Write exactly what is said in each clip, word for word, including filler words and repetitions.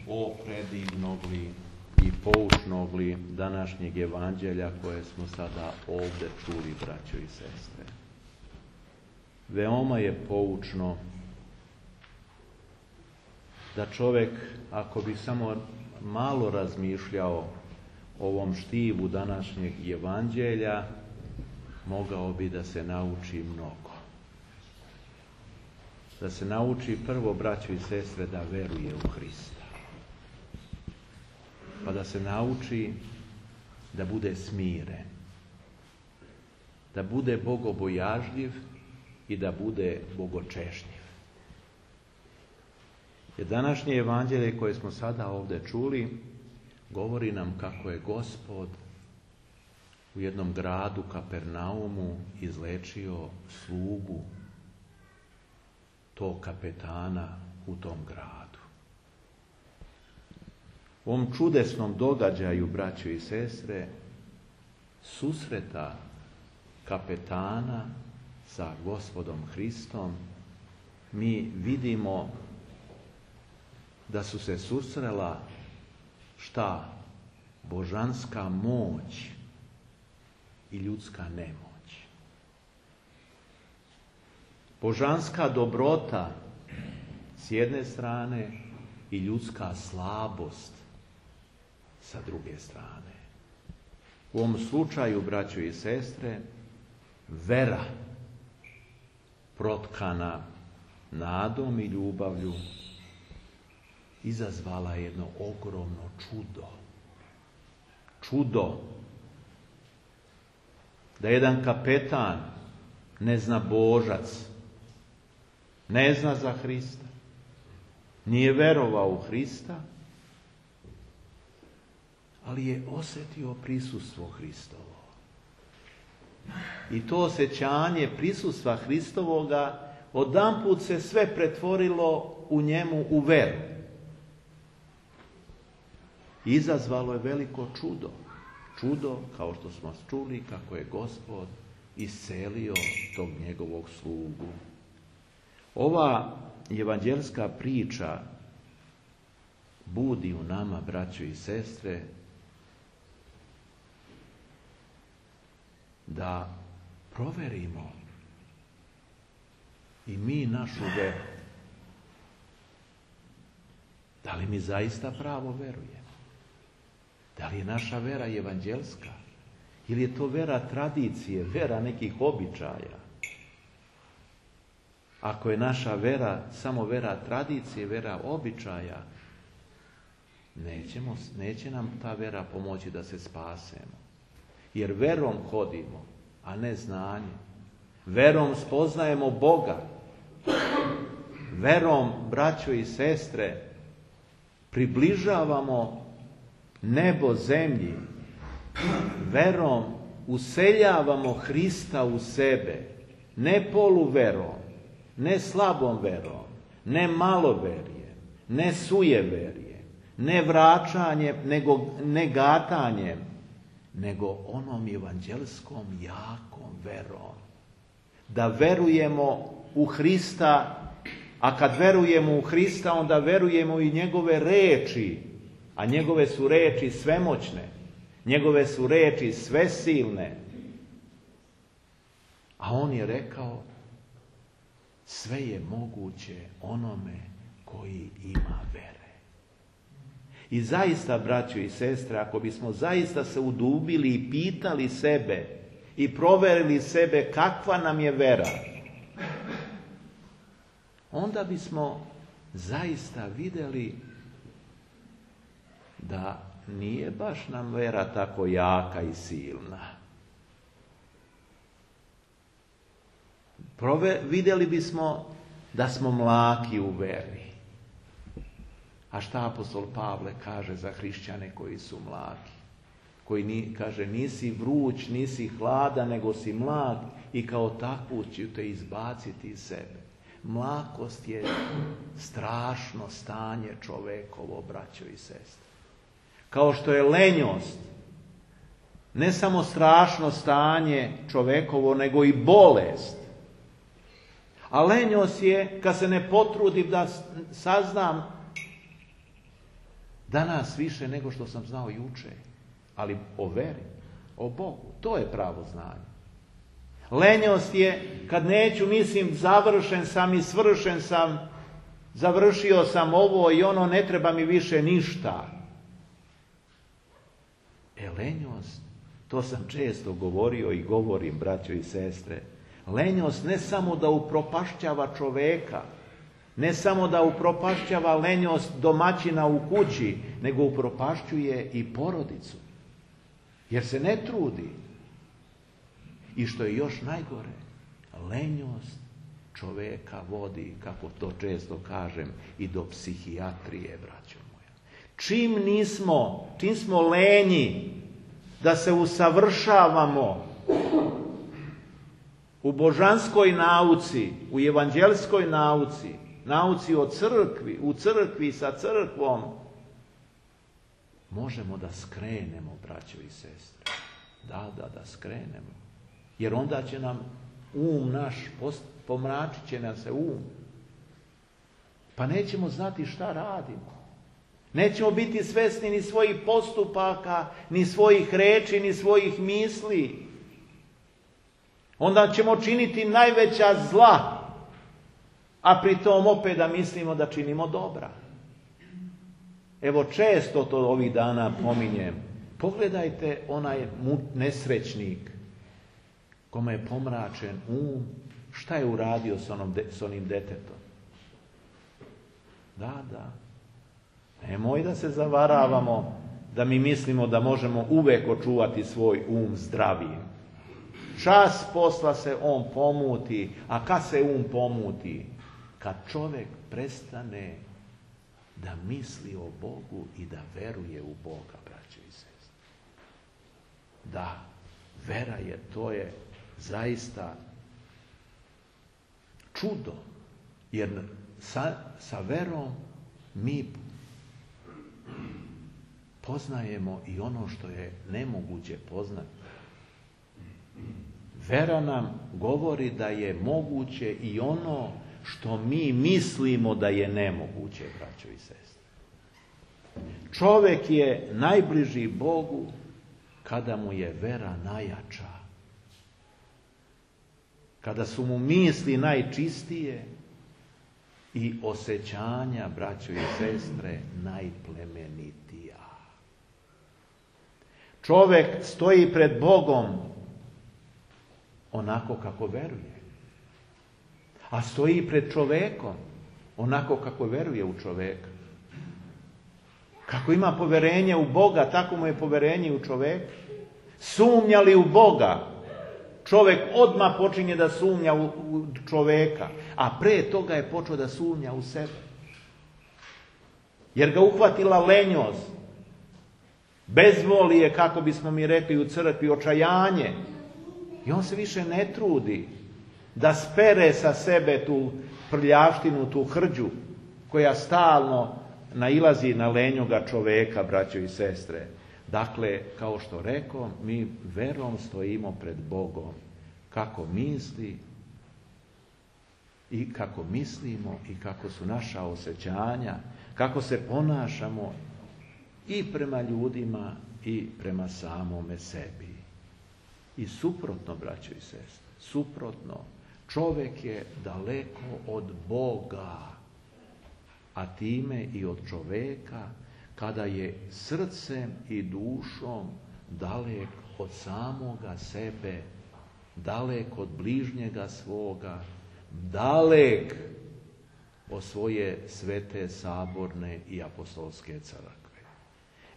o predivnog li i poučnog li današnjeg evanđelja koje smo sada ovdje čuli, braćo i sestre. Veoma je poučno da čovjek, ako bi samo malo razmišljao o ovom štivu današnjeg evanđelja, mogao bi da se nauči mnogo. Da se nauči prvo, braćo i sestre, da veruje u Hrista. Pa da se nauči da bude smiren, da bude bogobojažljiv i da bude bogočešnjiv. Jer današnje evanđelje koje smo sada ovdje čuli govori nam kako je Gospod u jednom gradu Kapernaumu izlečio slugu tog kapetana u tom gradu. U ovom čudesnom događaju, braćo i sestre, susreta kapetana sa Gospodom Hristom, mi vidimo da su se susrela šta? Božanska moć i ljudska nemoć. Božanska dobrota s jedne strane i ljudska slabost sa druge strane. U ovom slučaju, braćo i sestre, vera protkana nadom i ljubavlju izazvala jedno ogromno čudo. Čudo da jedan kapetan, neznabožac, ne zna za Hrista, nije verovao u Hrista, ali je osjetio prisustvo Hristovo. I to osjećanje prisustva Hristovoga odjedanput se sve pretvorilo u njemu u veru. Izazvalo je veliko čudo. Čudo, kao što smo čuli, kako je Gospod iscelio tog njegovog slugu. Ova evanđelska priča budi u nama, braćo i sestre, da proverimo i mi našu veru. Da li mi zaista pravo verujemo? Da li je naša vera evanđelska? Ili je to vera tradicije, vera nekih običaja? Ako je naša vera samo vera tradicije, vera običaja, nećemo, neće nam ta vera pomoći da se spasemo. Jer verom hodimo, a ne znanjem. Verom spoznajemo Boga. Verom, braćo i sestre, približavamo nebo zemlji. Verom useljavamo Hrista u sebe. Ne poluverom, ne slabom verom, ne maloverjem, ne sujeverjem, ne vraćanjem, nego ne gatanjem, nego onom evanđelskom jakom verom. Da verujemo u Hrista, a kad verujemo u Hrista, onda verujemo i njegove reči, a njegove su reči svemoćne, njegove su reči svesilne. A on je rekao, sve je moguće onome koji ima vere. I zaista, braćo i sestre, ako bismo zaista se udubili i pitali sebe i proverili sebe kakva nam je vera, onda bismo zaista vidjeli da nije baš nam vera tako jaka i silna. Prove, vidjeli bismo da smo mlaki u veri. A šta apostol Pavle kaže za hrišćane koji su mlaki? Koji ni, kaže, nisi vruć, nisi hladan, nego si mlak i kao takvu ću te izbaciti iz sebe. Mlakost je strašno stanje čovekovo, braćo i sestre. Kao što je lenjost ne samo strašno stanje čovekovo, nego i bolest. A lenjost je kad se ne potrudim da saznam Danas više nego što sam znao juče. Ali o veri, o Bogu, to je pravo znanje. Lenjost je kad neću, mislim, završen sam i svršen sam, završio sam ovo i ono, ne treba mi više ništa. E, lenjost, to sam često govorio i govorim, braćo i sestre, lenjost ne samo da upropašćava čoveka, ne samo da upropašćava lenjost domaćina u kući, nego upropašćuje i porodicu. Jer se ne trudi. I što je još najgore, lenjost čoveka vodi, kako to često kažem, i do psihijatrije, braćo moja. Čim nismo, čim smo lenji da se usavršavamo u božanskoj nauci, u evanđelskoj nauci, nauci o crkvi, u crkvi sa crkvom, možemo da skrenemo, braćo i sestre. Da, da, da skrenemo. Jer onda će nam um naš, pomračit će nam se um. Pa nećemo znati šta radimo. Nećemo biti svesni ni svojih postupaka, ni svojih reči, ni svojih misli. Onda ćemo činiti najveća zla, a pritom opet da mislimo da činimo dobra. Evo, često to ovih dana pominjem. Pogledajte onaj nesrećnik kome je pomračen um, šta je uradio s, onom, s onim detetom. Da, da. Nemoj da se zavaravamo da mi mislimo da možemo uvek očuvati svoj um zdravijim. Čas posla se on pomuti, a kad se um pomuti? Kad čovjek prestane da misli o Bogu i da veruje u Boga, braćo i sestre. Da, vera je, to je zaista čudo, jer sa, sa verom mi poznajemo i ono što je nemoguće poznati. Vera nam govori da je moguće i ono što mi mislimo da je nemoguće, braćo i sestre. Čovjek je najbliži Bogu kada mu je vera najjača. Kada su mu misli najčistije i osjećanja, braćo i sestre, najplemenitija. Čovjek stoji pred Bogom onako kako veruje. A stoji pred čovjekom onako kako veruje u čovjeka. Kako ima poverenje u Boga, tako mu je poverenje u čovjeka. Sumnja li u Boga, čovjek odmah počinje da sumnja u, u čovjeka, a pre toga je počeo da sumnja u sebe. Jer ga uhvatila lenjost, bezvolije, kako bismo mi rekli u crkvi, očajanje. I on se više ne trudi da spere sa sebe tu prljavštinu, tu hrđu, koja stalno nailazi na lenjoga čovjeka, braćo i sestre. Dakle, kao što rekao, mi verom stojimo pred Bogom. Kako misli i kako mislimo i kako su naša osjećanja, kako se ponašamo i prema ljudima i prema samome sebi. I suprotno, braćo i sestre, suprotno, čovjek je daleko od Boga, a time i od čovjeka, kada je srcem i dušom dalek od samoga sebe, dalek od bližnjega svoga, dalek od svoje svete, saborne i apostolske crkve.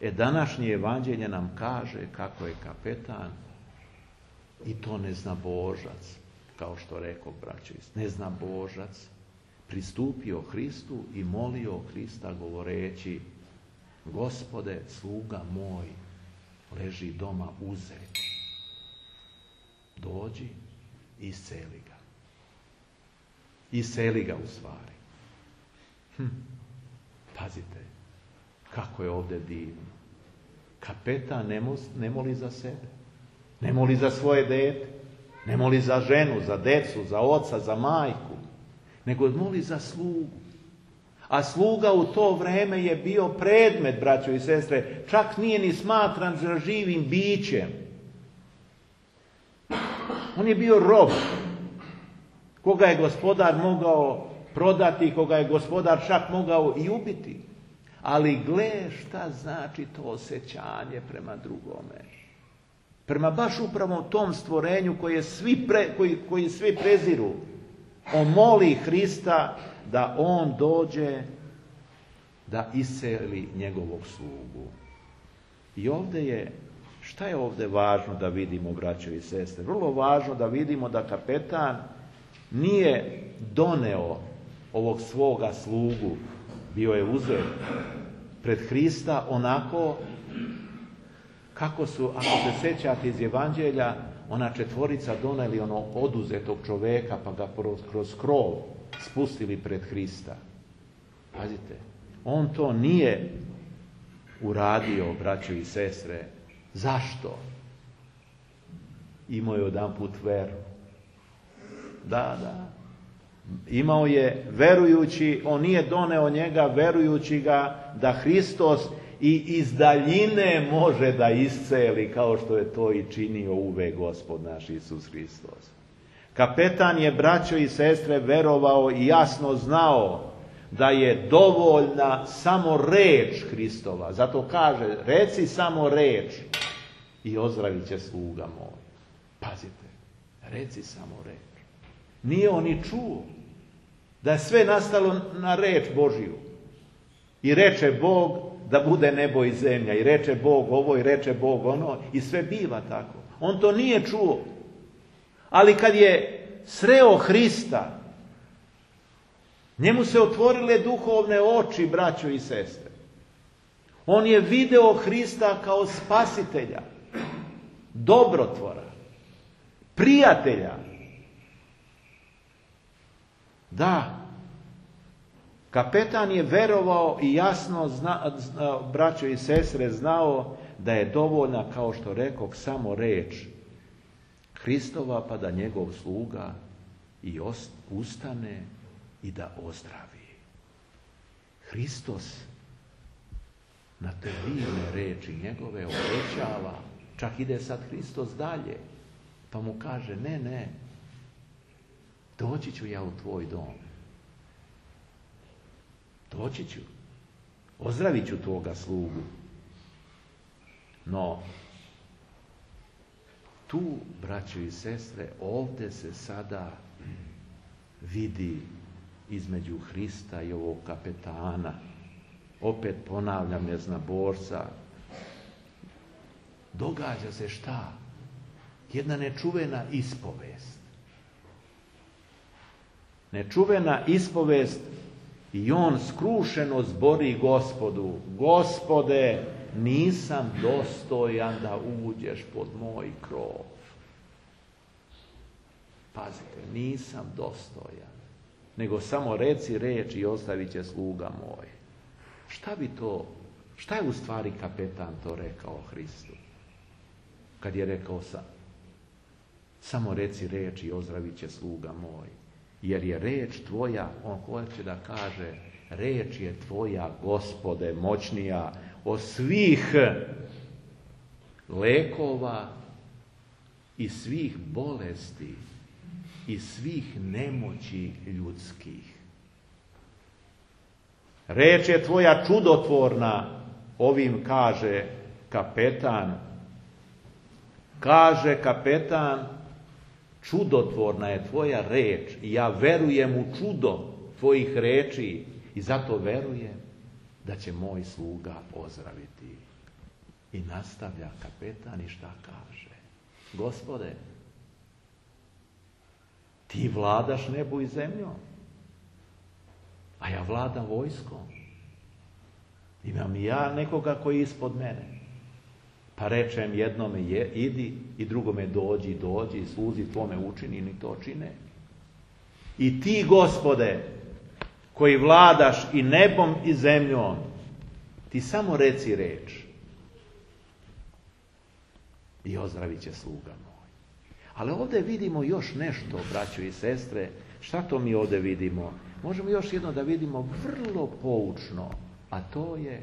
E, današnje evanđelje nam kaže kako je kapetan, i to neznabožac, kao što rekao braćo, neznabožac, pristupio Hristu i molio Hrista govoreći: Gospode, sluga moj leži doma uzet. Dođi i isceli ga. Isceli ga u stvari. Hm. Pazite, kako je ovdje divno. Kapetan ne, mo, ne moli za sebe. Ne moli za svoje dete. Ne moli za ženu, za decu, za oca, za majku. Nego moli za slugu. A sluga u to vrijeme je bio predmet, braćo i sestre, čak nije ni smatran za živim bićem. On je bio rob, koga je gospodar mogao prodati, koga je gospodar čak mogao i ubiti. Ali gle šta znači to osjećanje prema drugome. Prema baš upravo tom stvorenju koje svi pre, koji, koji svi preziru. On moli Hrista da on dođe da iseli njegovog slugu. I ovdje je, šta je ovdje važno da vidimo, braćo i sestre? Vrlo važno da vidimo da kapetan nije doneo ovog svoga slugu, bio je uzet pred Hrista onako kako su, ako se sjećate iz Evanđelja, ona četvorica doneli ono oduzetog čovjeka pa ga kroz krov spustili pred Hrista. Pazite, on to nije uradio, braćo i sestre. Zašto? Imao je jedanput veru. Da, da. Imao je verujući, on nije doneo njega verujući ga da Hristos i iz daljine može da isceli kao što je to i činio uvek Gospod naš Isus Hristos. Kapetan je, braćo i sestre, verovao i jasno znao da je dovoljna samo reč Hristova. Zato kaže, reci samo reč i ozdravit će sluga moj. Pazite, reci samo reč. Nije on ni čuo da je sve nastalo na reč Božiju. I reče Bog da bude nebo i zemlja. I reče Bog ovo i reče Bog ono. I sve biva tako. On to nije čuo. Ali kad je sreo Hrista, njemu se otvorile duhovne oči, braćo i sestre. On je video Hrista kao spasitelja, dobrotvora, prijatelja. Da, kapetan je verovao i jasno, zna, zna, braćo i sestre, znao da je dovoljna, kao što rekoh, samo reč Hristova, pa da njegov sluga i ost, ustane i da ozdravi. Hristos na te divne reči njegove obećava, čak ide sad Hristos dalje, pa mu kaže, ne, ne, doći ću ja u tvoj dom. Doći ću. Ozdravit ću tvoga slugu. No, tu, braćo i sestre, ovdje se sada vidi između Hrista i ovog kapetana. Opet ponavljam, neznaborca. Događa se šta? Jedna nečuvena ispovest. Nečuvena ispovest i on skrušeno zbori Gospodu. Gospode, nisam dostojan da uđeš pod moj krov. Pazite, nisam dostojan. Nego samo reci reč i ostavit će sluga moj. Šta bi to, šta je u stvari kapetan to rekao Hristu? Kad je rekao sam, samo reci reč i ozdravit će sluga moj. Jer je reč tvoja, on hoće da kaže, reč je tvoja, Gospode, moćnija od svih lekova i svih bolesti i svih nemoći ljudskih. Reč je tvoja čudotvorna, ovim kaže kapetan. Kaže kapetan, čudotvorna je tvoja reč i ja verujem u čudo tvojih reči i zato verujem da će moj sluga ozdraviti. I nastavlja kapetan i šta kaže? Gospode, ti vladaš nebu i zemljom, a ja vladam vojskom. Imam i ja nekoga koji je ispod mene. Pa rečem jednome je, idi i drugome dođi, dođi i sluzi tvome učini, ni to čine. I ti, Gospode, koji vladaš i nebom i zemljom, ti samo reci reč i ozdravit će sluga moj. Ali ovdje vidimo još nešto, braćo i sestre. Šta to mi ovdje vidimo? možemo još jedno da vidimo vrlo poučno, a to je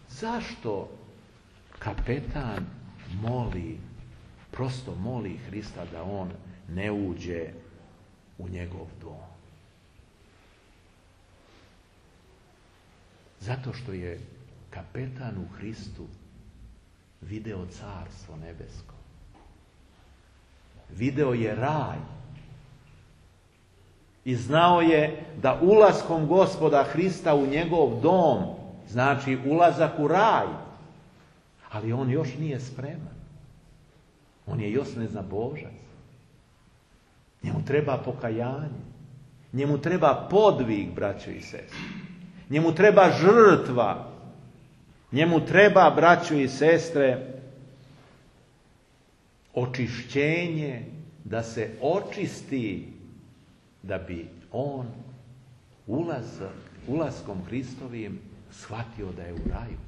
zašto kapetan moli, prosto moli Hrista da on ne uđe u njegov dom. Zato što je kapetan u Hristu video carstvo nebesko. Video je raj. I znao je da ulaskom Gospoda Hrista u njegov dom znači ulazak u raj. Ali on još nije spreman. On je još neznabožac. Njemu treba pokajanje. Njemu treba podvig, braćo i sestre. Njemu treba žrtva. Njemu treba, braćo i sestre, očišćenje, da se očisti, da bi on ulazak, ulaskom Hristovim shvatio da je u raju.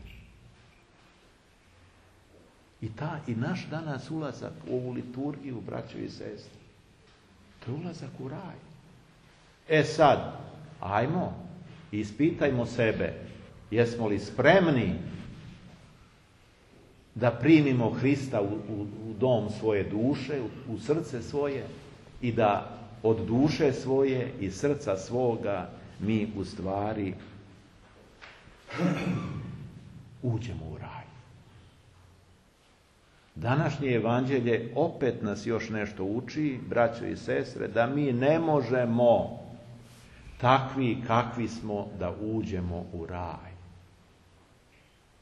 I, ta, i naš danas ulazak u ovu liturgiju, braćo i sestre, to je ulazak u raj. E sad, ajmo, ispitajmo sebe, jesmo li spremni da primimo Hrista u, u, u dom svoje duše, u, u srce svoje i da od duše svoje i srca svoga mi u stvari uđemo u raj. Današnje evanđelje opet nas još nešto uči, braćo i sestre, da mi ne možemo takvi kakvi smo da uđemo u raj.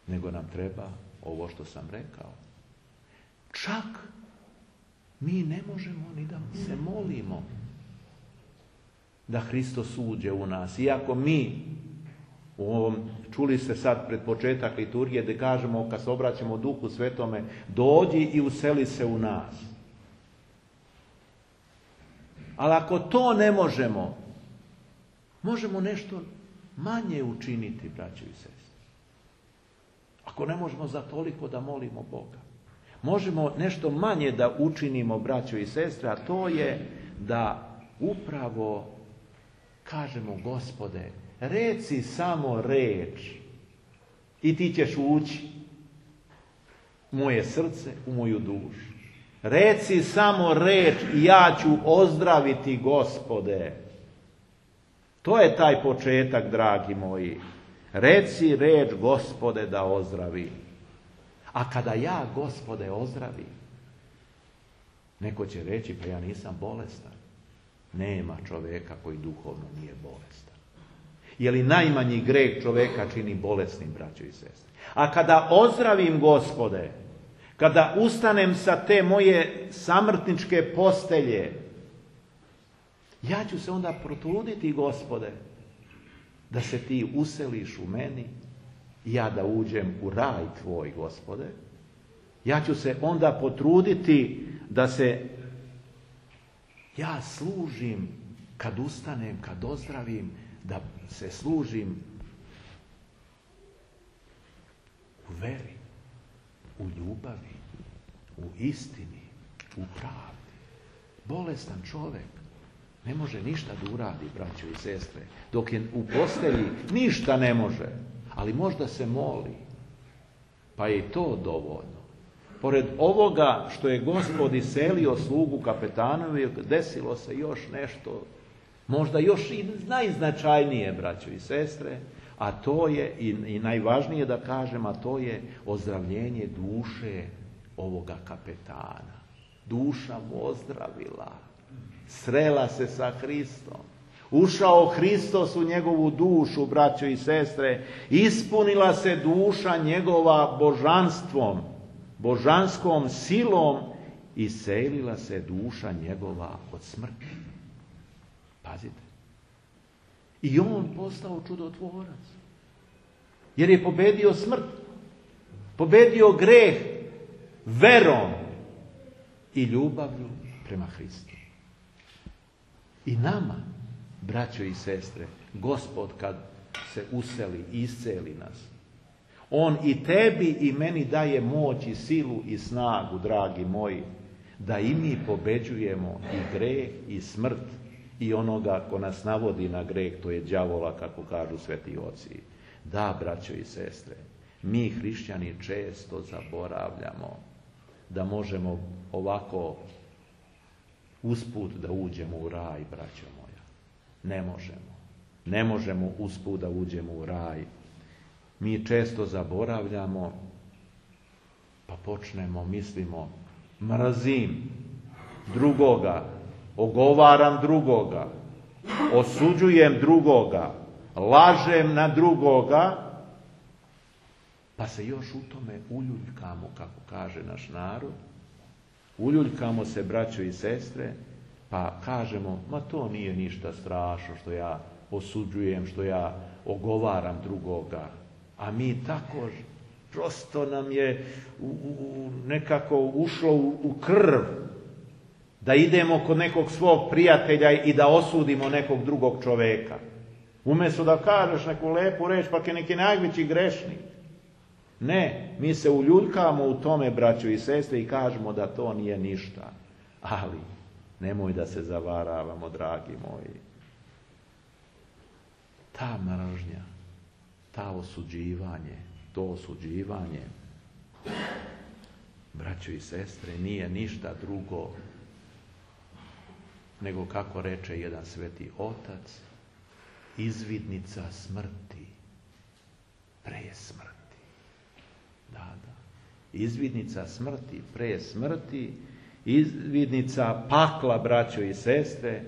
Nego nam treba ovo što sam rekao. Čak mi ne možemo ni da se molimo da Hristos uđe u nas. Iako mi, u ovom, čuli ste sad pred početak liturgije, da kažemo kad se obraćamo Duhu Svetome, dođi i useli se u nas. Ali ako to ne možemo, možemo nešto manje učiniti, braćo i sestre. Ako ne možemo za toliko da molimo Boga. Možemo nešto manje da učinimo, braćo i sestre, a to je da upravo kažemo, Gospode, reci samo reč i ti ćeš ući u moje srce, u moju dušu. Reci samo reč i ja ću ozdraviti, Gospode. To je taj početak, dragi moji. Reci reč, Gospode, da ozdravi. A kada ja, Gospode, ozdravim, neko će reći, pa ja nisam bolestan. Nema čovjeka koji duhovno nije bolestan. Je li najmanji greh čovjeka čini bolesnim, braćo i sestre? A kada ozdravim, Gospode, kada ustanem sa te moje samrtničke postelje, ja ću se onda potruditi, Gospode, da se ti useliš u meni, ja da uđem u raj tvoj, Gospode. Ja ću se onda potruditi da se ja služim, kad ustanem, kad ozdravim, da se služim u veri, u ljubavi, u istini, u pravdi. Bolestan čovjek ne može ništa da uradi, braćo i sestre. Dok je u postelji, ništa ne može, ali možda se moli. Pa je i to dovoljno. Pored ovoga što je Gospod iselio slugu kapetanovi, desilo se još nešto, možda još i najznačajnije, braćo i sestre, a to je, i, i najvažnije da kažem, a to je ozdravljenje duše ovoga kapetana. Duša mu ozdravila. Srela se sa Hristom. Ušao Hristos u njegovu dušu, braćo i sestre. Ispunila se duša njegova božanstvom, božanskom silom, i selila se duša njegova od smrti. Pazite. I on postao čudotvorac. Jer je pobedio smrt. Pobedio greh verom i ljubavlju prema Hristu. I nama, braćo i sestre, Gospod kad se useli, isceli nas, on i tebi i meni daje moć i silu i snagu, dragi moji, da i mi pobeđujemo i greh i smrt i onoga ko nas navodi na greh, to je đavola, kako kažu sveti oci. Da, braćo i sestre, mi hrišćani često zaboravljamo da možemo ovako usput da uđemo u raj, braćo moja. Ne možemo. Ne možemo usput da uđemo u raj. Mi često zaboravljamo, pa počnemo, mislimo, mrzim drugoga, ogovaram drugoga, osuđujem drugoga, lažem na drugoga, pa se još u tome uljuljkamo, kako kaže naš narod. Uljuljkamo se, braćo i sestre, pa kažemo, ma to nije ništa strašno što ja osuđujem, što ja ogovaram drugoga. A mi tako, prosto nam je u, u, nekako ušlo u, u krv da idemo kod nekog svog prijatelja i da osudimo nekog drugog čoveka. Umjesto da kažeš neku lepu reč, pa je neki najveći grešnik. Ne, mi se uljuljkamo u tome, braćo i sestre, i kažemo da to nije ništa. Ali nemoj da se zavaravamo, dragi moji. Ta mržnja, ta osuđivanje, to osuđivanje, braćo i sestre, nije ništa drugo nego, kako reče jedan sveti otac, izvidnica smrti pre smrti. Da, da. Izvidnica smrti pre smrti, izvidnica pakla, braćo i sestre,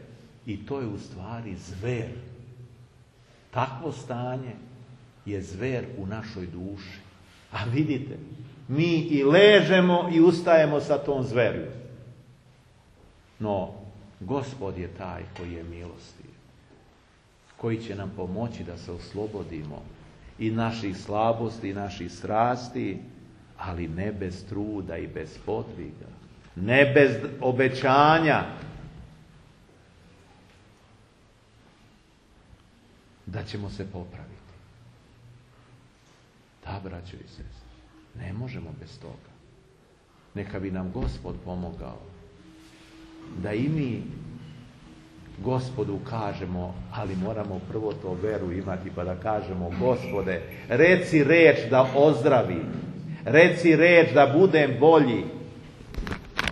i to je u stvari zver. Takvo stanje je zver u našoj duši. A vidite, mi i ležemo i ustajemo sa tom zverju. No, Gospod je taj koji je milostiv, koji će nam pomoći da se oslobodimo i naših slabosti, i naših strasti, ali ne bez truda i bez podviga, ne bez obećanja da ćemo se popraviti. Da, braćo i sestre, ne možemo bez toga. Neka bi nam Gospod pomogao da i mi Gospodu kažemo, ali moramo prvo to veru imati, pa da kažemo, Gospode, reci reč da ozdravim, reci reč da budem bolji.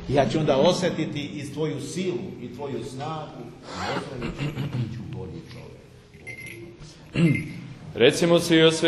Ja ću onda osjetiti i tvoju silu i tvoju snagu, i ozdravit ću bolji čovjek. Recimo se i o